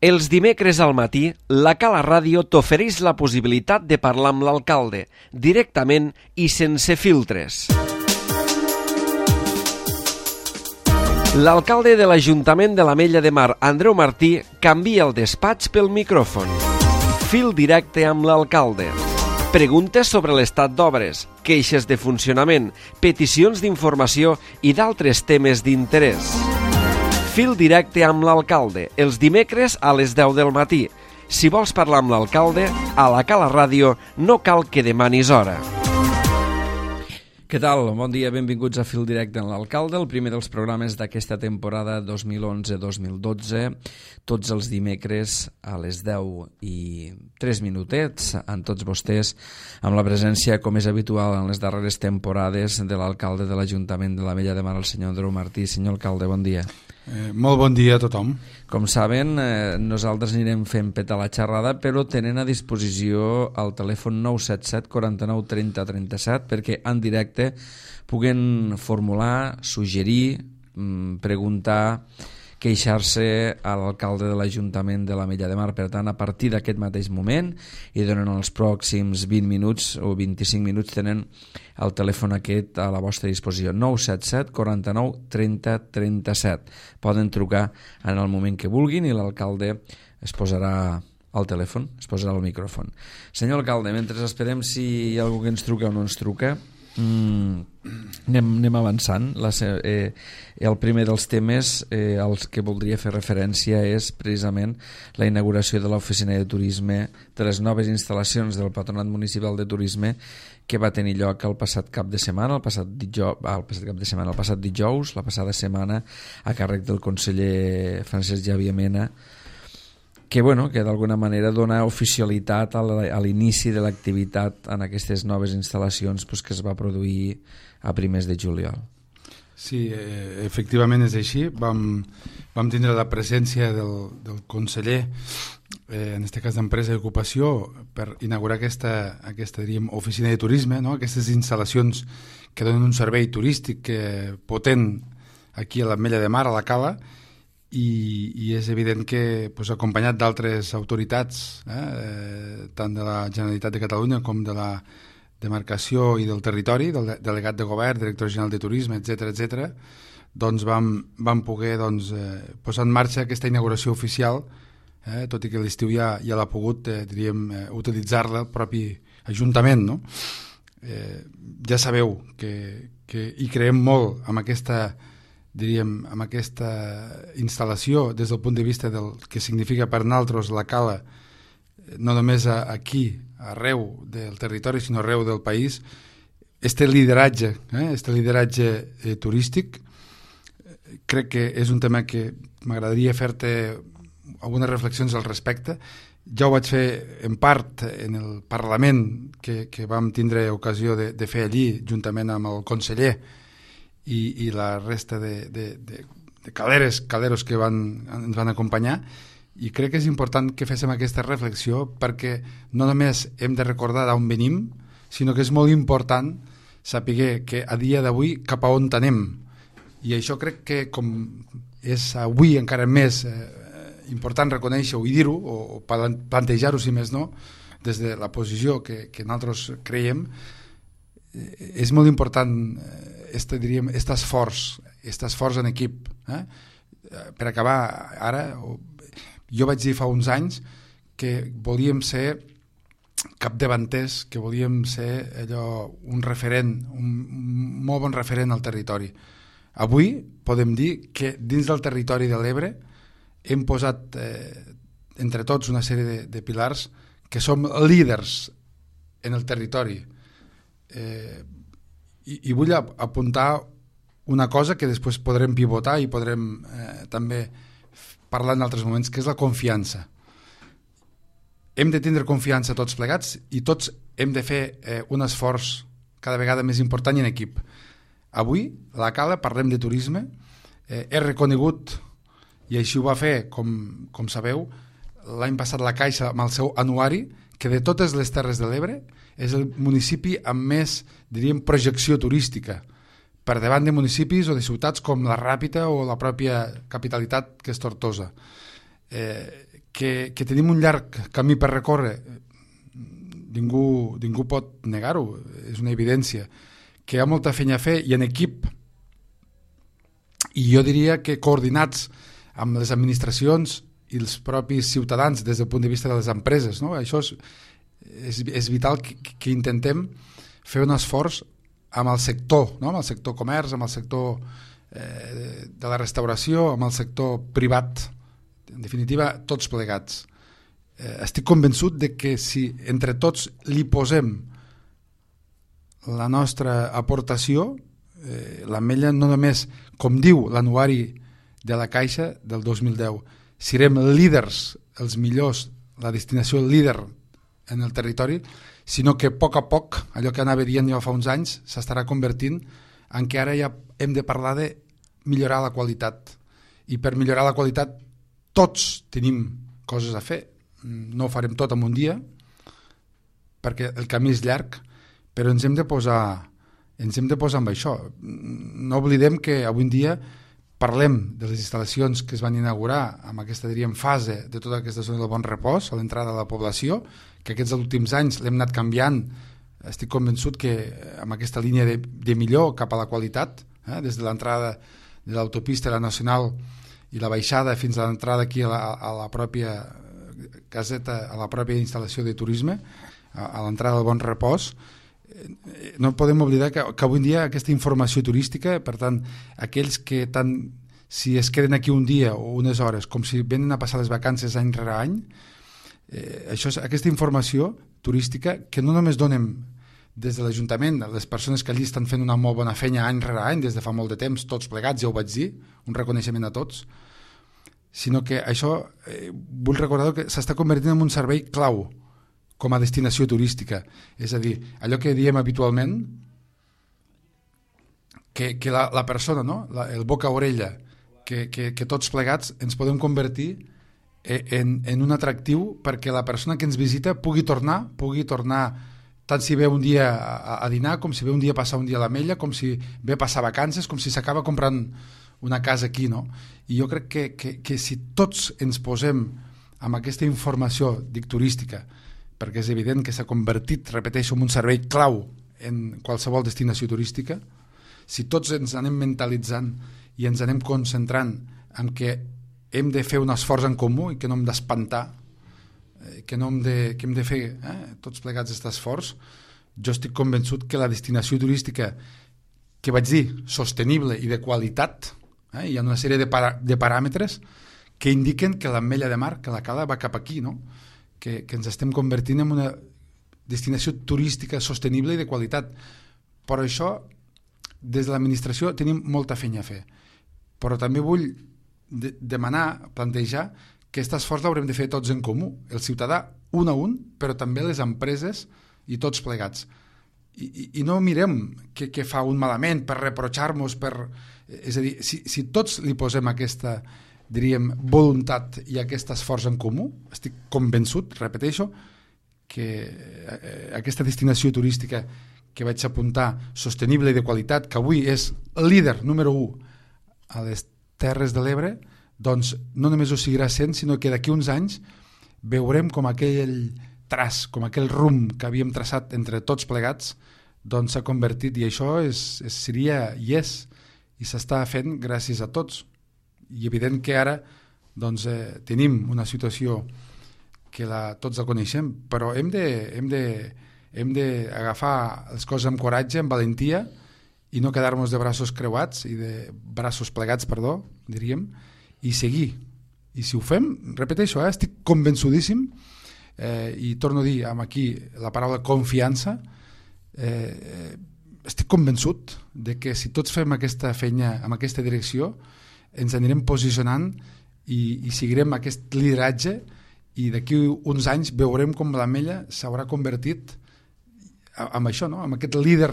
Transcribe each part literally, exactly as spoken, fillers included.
Els dimecres al matí, la Cala Ràdio t'ofereix la possibilitat de parlar amb l'alcalde, directament i sense filtres. L'alcalde de l'Ajuntament de l'Ametlla de Mar, Andreu Martí, canvia el despatx pel micròfon. Fil directe amb l'alcalde. Preguntes sobre l'estat d'obres, queixes de funcionament, peticions d'informació i d'altres temes d'interès. Fil directe amb l'alcalde, els dimecres a les deu del matí. Si vols parlar amb l'alcalde, a la Cala Ràdio no cal que demanis hora. Què tal? Bon dia, benvinguts a Fil directe amb l'alcalde, el primer dels programes d'aquesta temporada dos mil onze dos mil dotze, tots els dimecres a les deu i tres minutets, amb tots vostès, amb la presència, com és habitual en les darreres temporades, de l'alcalde de l'Ajuntament de l'Ametlla de Mar, el senyor Andreu Martí. Senyor alcalde, bon dia. Eh, molt bon dia a tothom. Com saben, eh, nosaltres anirem fent petar la xerrada, però tenen a disposició el telèfon nou set set quaranta-nou trenta trenta-set perquè en directe puguen formular, suggerir, preguntar, queixar-se a l'alcalde de l'Ajuntament de l'Ametlla de Mar. Per tant, a partir d'aquest mateix moment i durant els pròxims vint minuts o vint-i-cinc minuts tenen el telèfon aquest a la vostra disposició, nou set set quaranta-nou trenta trenta-set. Poden trucar en el moment que vulguin i l'alcalde es posarà al telèfon, es posarà al micròfon. Senyor alcalde, mentre esperem si hi ha algú que ens truca o no ens truca, Mm, anem, anem avançant. La, eh, el primer dels temes eh, als que voldria fer referència és precisament la inauguració de l'oficina de turisme, de les noves instal·lacions del Patronat Municipal de Turisme, que va tenir lloc el passat cap de setmana, el passat, dijous, ah, el passat cap de setmana, el passat dijous, la passada setmana, a càrrec del conseller Francesc Xavier Mena, que, bueno, que d'alguna manera dona oficialitat a l'inici de l'activitat en aquestes noves instal·lacions pues, que es va produir a primers de juliol. Sí, eh, efectivament és així. Vam, vam tindre la presència del, del conseller, eh, en aquest cas d'Empresa i Ocupació, per inaugurar aquesta, aquesta diríem, oficina de turisme, no? Aquestes instal·lacions que donen un servei turístic eh, potent aquí a l'Ametlla de Mar, a la Cala, I, i és evident que pues, acompanyat d'altres autoritats eh, eh, tant de la Generalitat de Catalunya com de la demarcació i del territori, del delegat de govern, director general de turisme, etcètera, etcètera, doncs vam, vam poder doncs, eh, posar en marxa aquesta inauguració oficial, eh, tot i que l'estiu ja, ja l'ha pogut eh, diríem, eh, utilitzar-la el propi Ajuntament, no? Eh, ja sabeu que, que hi creiem molt amb aquesta diríem, amb aquesta instal·lació des del punt de vista del que significa per nosaltres la Cala, no només aquí, arreu del territori, sinó arreu del país, este lideratge, eh, este lideratge eh, turístic. Crec que és un tema que m'agradaria fer-te algunes reflexions al respecte. Ja ho vaig fer en part en el Parlament que, que vam tindre ocasió de, de fer allí, juntament amb el conseller I, i la resta de, de, de, de caleres, caleros que van, ens van acompanyar, i crec que és important que féssim aquesta reflexió perquè no només hem de recordar d'on venim, sinó que és molt important saber que a dia d'avui cap a on anem. I això crec que com és avui encara més eh, important reconèixer-ho i dir-ho, o, o plantejar-ho si més no, des de la posició que, que nosaltres creiem, eh, és molt important eh, este, diríem, este esforç, este esforç en equip. Eh? Per acabar, ara, jo vaig dir fa uns anys que volíem ser capdavanters, que volíem ser allò, un referent, un, un molt bon referent al territori. Avui podem dir que dins del territori de l'Ebre hem posat eh, entre tots una sèrie de, de pilars que som líders en el territori. Eh, I, i vull apuntar una cosa que després podrem pivotar i podrem eh, també parlar en altres moments, que és la confiança. Hem de tindre confiança tots plegats i tots hem de fer eh, un esforç cada vegada més important i en equip. Avui, a la Cala, parlem de turisme, eh, és reconegut, i així ho va fer, com, com sabeu, l'any passat la Caixa amb el seu anuari, que de totes les Terres de l'Ebre és el municipi amb més, diríem, projecció turística, per davant de municipis o de ciutats com la Ràpita o la pròpia capitalitat, que és Tortosa. Eh, que, que tenim un llarg camí per recórrer, ningú, ningú pot negar-ho, és una evidència, que hi ha molta feina a fer i en equip, i jo diria que coordinats amb les administracions i els propis ciutadans des del punt de vista de les empreses, no? Això és, és, és vital que, que intentem fer un esforç amb el sector, no? Amb el sector comerç, amb el sector eh, de la restauració, amb el sector privat, en definitiva tots plegats. Eh, estic convençut de que si entre tots li posem la nostra aportació, eh, l'Ametlla no només, com diu l'anuari de la Caixa del dos mil deu, serem líders, els millors, la destinació líder en el territori, sinó que a poc a poc, allò que anava dient jo fa uns anys, s'estarà convertint en que ara ja hem de parlar de millorar la qualitat. I per millorar la qualitat tots tenim coses a fer. No ho farem tot en un dia, perquè el camí és llarg, però ens hem de posar, ens hem de posar amb això. No oblidem que avui en dia parlem de les instal·lacions que es van inaugurar amb aquesta, diríem, fase de tota aquesta zona del Bon Repòs, a l'entrada de la població, que aquests últims anys l'hem anat canviant. Estic convençut que amb aquesta línia de, de millor cap a la qualitat, eh, des de l'entrada de l'autopista, la nacional, i la baixada fins a l'entrada aquí a la, a la pròpia caseta, a la pròpia instal·lació de turisme, a, a l'entrada del Bon Repòs, no podem oblidar que, que avui en dia aquesta informació turística, per tant, aquells que tant, si es queden aquí un dia o unes hores, com si venen a passar les vacances any rere any, eh, això és aquesta informació turística que no només donem des de l'Ajuntament, les persones que allí estan fent una molt bona feina any rere any, des de fa molt de temps, tots plegats, ja ho vaig dir, un reconeixement a tots, sinó que això, eh, vull recordar que s'està convertint en un servei clau com a destinació turística. És a dir, allò que diem habitualment, que, que la, la persona, no? la, el boca a orella, que, que, que tots plegats ens podem convertir en, en un atractiu perquè la persona que ens visita pugui tornar, pugui tornar tant si ve un dia a, a dinar, com si ve un dia a passar un dia a l'Ametlla, com si ve a passar vacances, com si s'acaba comprant una casa aquí, no? I jo crec que, que, que si tots ens posem amb aquesta informació, dic turística, perquè és evident que s'ha convertit, repeteixo, en un servei clau en qualsevol destinació turística, si tots ens anem mentalitzant i ens anem concentrant en que hem de fer un esforç en comú i que no hem d'espantar, que, no hem de, que hem de fer eh, tots plegats aquest esforç, jo estic convençut que la destinació turística, que vaig dir, sostenible i de qualitat, eh, hi ha una sèrie de, para, de paràmetres que indiquen que l'Ametlla de Mar, que la Cala va cap aquí, no? Que, que ens estem convertint en una destinació turística sostenible i de qualitat. Però això, des de l'administració, tenim molta feina a fer. Però també vull de, demanar, plantejar, que aquest esforç l'haurem de fer tots en comú. El ciutadà, un a un, però també les empreses i tots plegats. I, i, i no mirem què, què fa un malament per reprochar-nos, per... És a dir, si, si tots li posem aquesta... diríem, voluntat i aquest esforç en comú, estic convençut, repeteixo, que aquesta destinació turística que vaig apuntar, sostenible i de qualitat, que avui és líder número u a les Terres de l'Ebre, doncs no només ho seguirà sent, sinó que d'aquí uns anys veurem com aquell traç, com aquell rumb que havíem traçat entre tots plegats, doncs s'ha convertit, i això és, és, seria i és, i s'està fent gràcies a tots. I evident que ara doncs, eh, tenim una situació que la, tots la coneixem, però hem de, hem de, hem d'agafar les coses amb coratge, amb valentia, i no quedar-nos de braços creuats i de braços plegats, perdó, diríem, i seguir. I si ho fem, repeteixo, eh, estic convençudíssim, eh, i torno a dir amb aquí la paraula confiança, eh, estic convençut de que si tots fem aquesta feina amb aquesta direcció, ens anirem posicionant i, i seguirem aquest lideratge, i d'aquí uns anys veurem com l'Ametlla s'haurà convertit amb això, no? Amb aquest líder,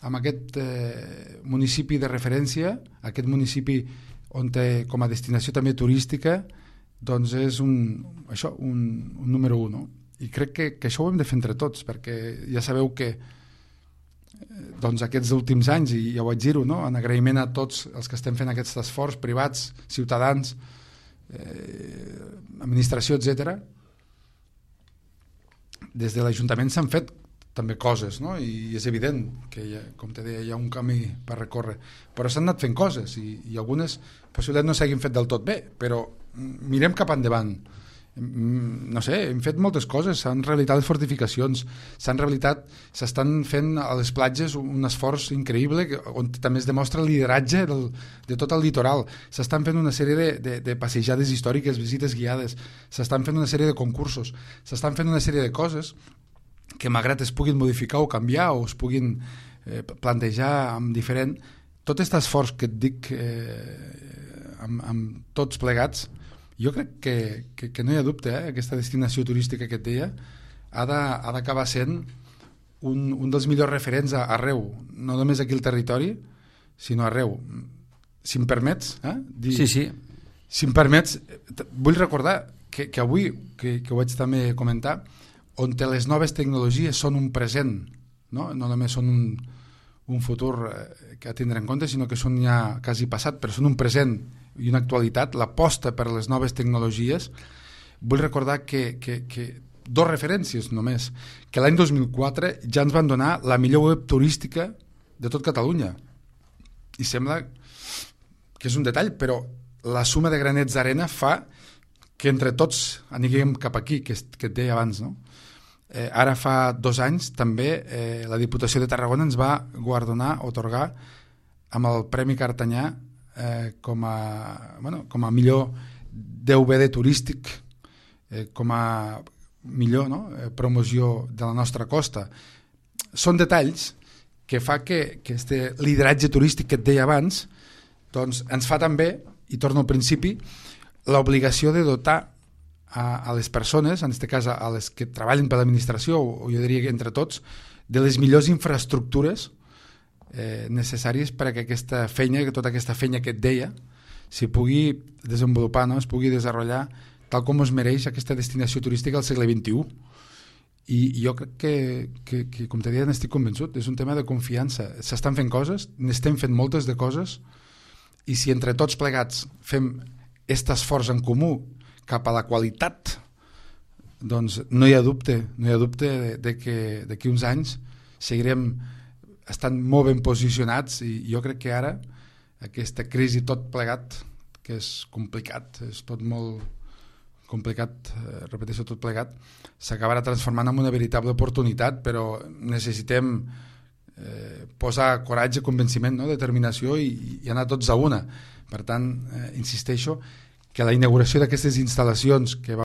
amb aquest eh, municipi de referència, aquest municipi on té, com a destinació també turística, doncs és un, això, un, un número un, no? I crec que, que això ho hem de fer entre tots, perquè ja sabeu que doncs aquests últims anys, i ja ho vaig dir-ho, no? En agraïment a tots els que estem fent aquest esforç, privats, ciutadans, eh, administració, etcètera. Des de l'Ajuntament s'han fet també coses, no? I és evident que, hi ha, com te deia, hi ha un camí per recórrer, però s'han anat fent coses i, i algunes possibilitats no s'hagin fet del tot bé, però mirem cap endavant. No sé, hem fet moltes coses, s'han rehabilitat les fortificacions, s'han rehabilitat, s'estan fent a les platges un esforç increïble on també es demostra el lideratge del, de tot el litoral, s'estan fent una sèrie de, de, de passejades històriques, visites guiades, s'estan fent una sèrie de concursos, s'estan fent una sèrie de coses que malgrat es puguin modificar o canviar o es puguin eh, plantejar amb diferent, tot aquest esforç que et dic eh, amb, amb tots plegats, jo crec que, que, que no hi ha dubte, eh? Aquesta destinació turística que et deia ha d'acabar sent un, un dels millors referents a, arreu, no només aquí al territori, sinó arreu. Si em permets, eh? Dir, sí, sí. Si em permets, vull recordar que, que avui, que, que ho vaig també comentar, on les noves tecnologies són un present, no, no només són un, un futur que a tindre en compte, sinó que són ja quasi passat, però són un present i una actualitat, l'aposta per les noves tecnologies. Vull recordar que, que, que dos referències només, que l'any dos mil quatre ja ens van donar la millor web turística de tot Catalunya. I sembla que és un detall, però la suma de granets d'arena fa que entre tots anirem cap aquí, que, que et deia abans, no? Eh, ara fa dos anys també eh, la Diputació de Tarragona ens va guardonar, otorgar amb el Premi Cartanyà eh, com, a, bueno, com a millor D V D turístic, eh, com a millor, no? eh, promoció de la nostra costa. Són detalls que fa que, que este lideratge turístic que et deia abans doncs ens fa també, i torno al principi, l'obligació de dotar A, a les persones, en aquest cas a les que treballen per l'administració, o jo diria que entre tots, de les millors infraestructures eh, necessàries perquè aquesta feina, que tota aquesta feina que et deia, s'hi pugui desenvolupar, no? Es pugui desenvolupar tal com es mereix aquesta destinació turística al segle vint-i-u. I, i jo crec que, que, que, com te deia, n'estic convençut, és un tema de confiança. S'estan fent coses, n'estem fent moltes de coses, i si entre tots plegats fem aquest esforç en comú cap a la qualitat, doncs no hi ha dubte, no hi ha dubte de, de que d'aquí uns anys seguirem estant molt ben posicionats i jo crec que ara aquesta crisi tot plegat, que és complicat, és tot molt complicat, eh, repeteixo, tot plegat, s'acabarà transformant en una veritable oportunitat, però necessitem eh, posar coratge, convenciment, no? Determinació i, i anar tots a una. Per tant, eh, insisteixo que la inauguració d'aquestes instal·lacions que va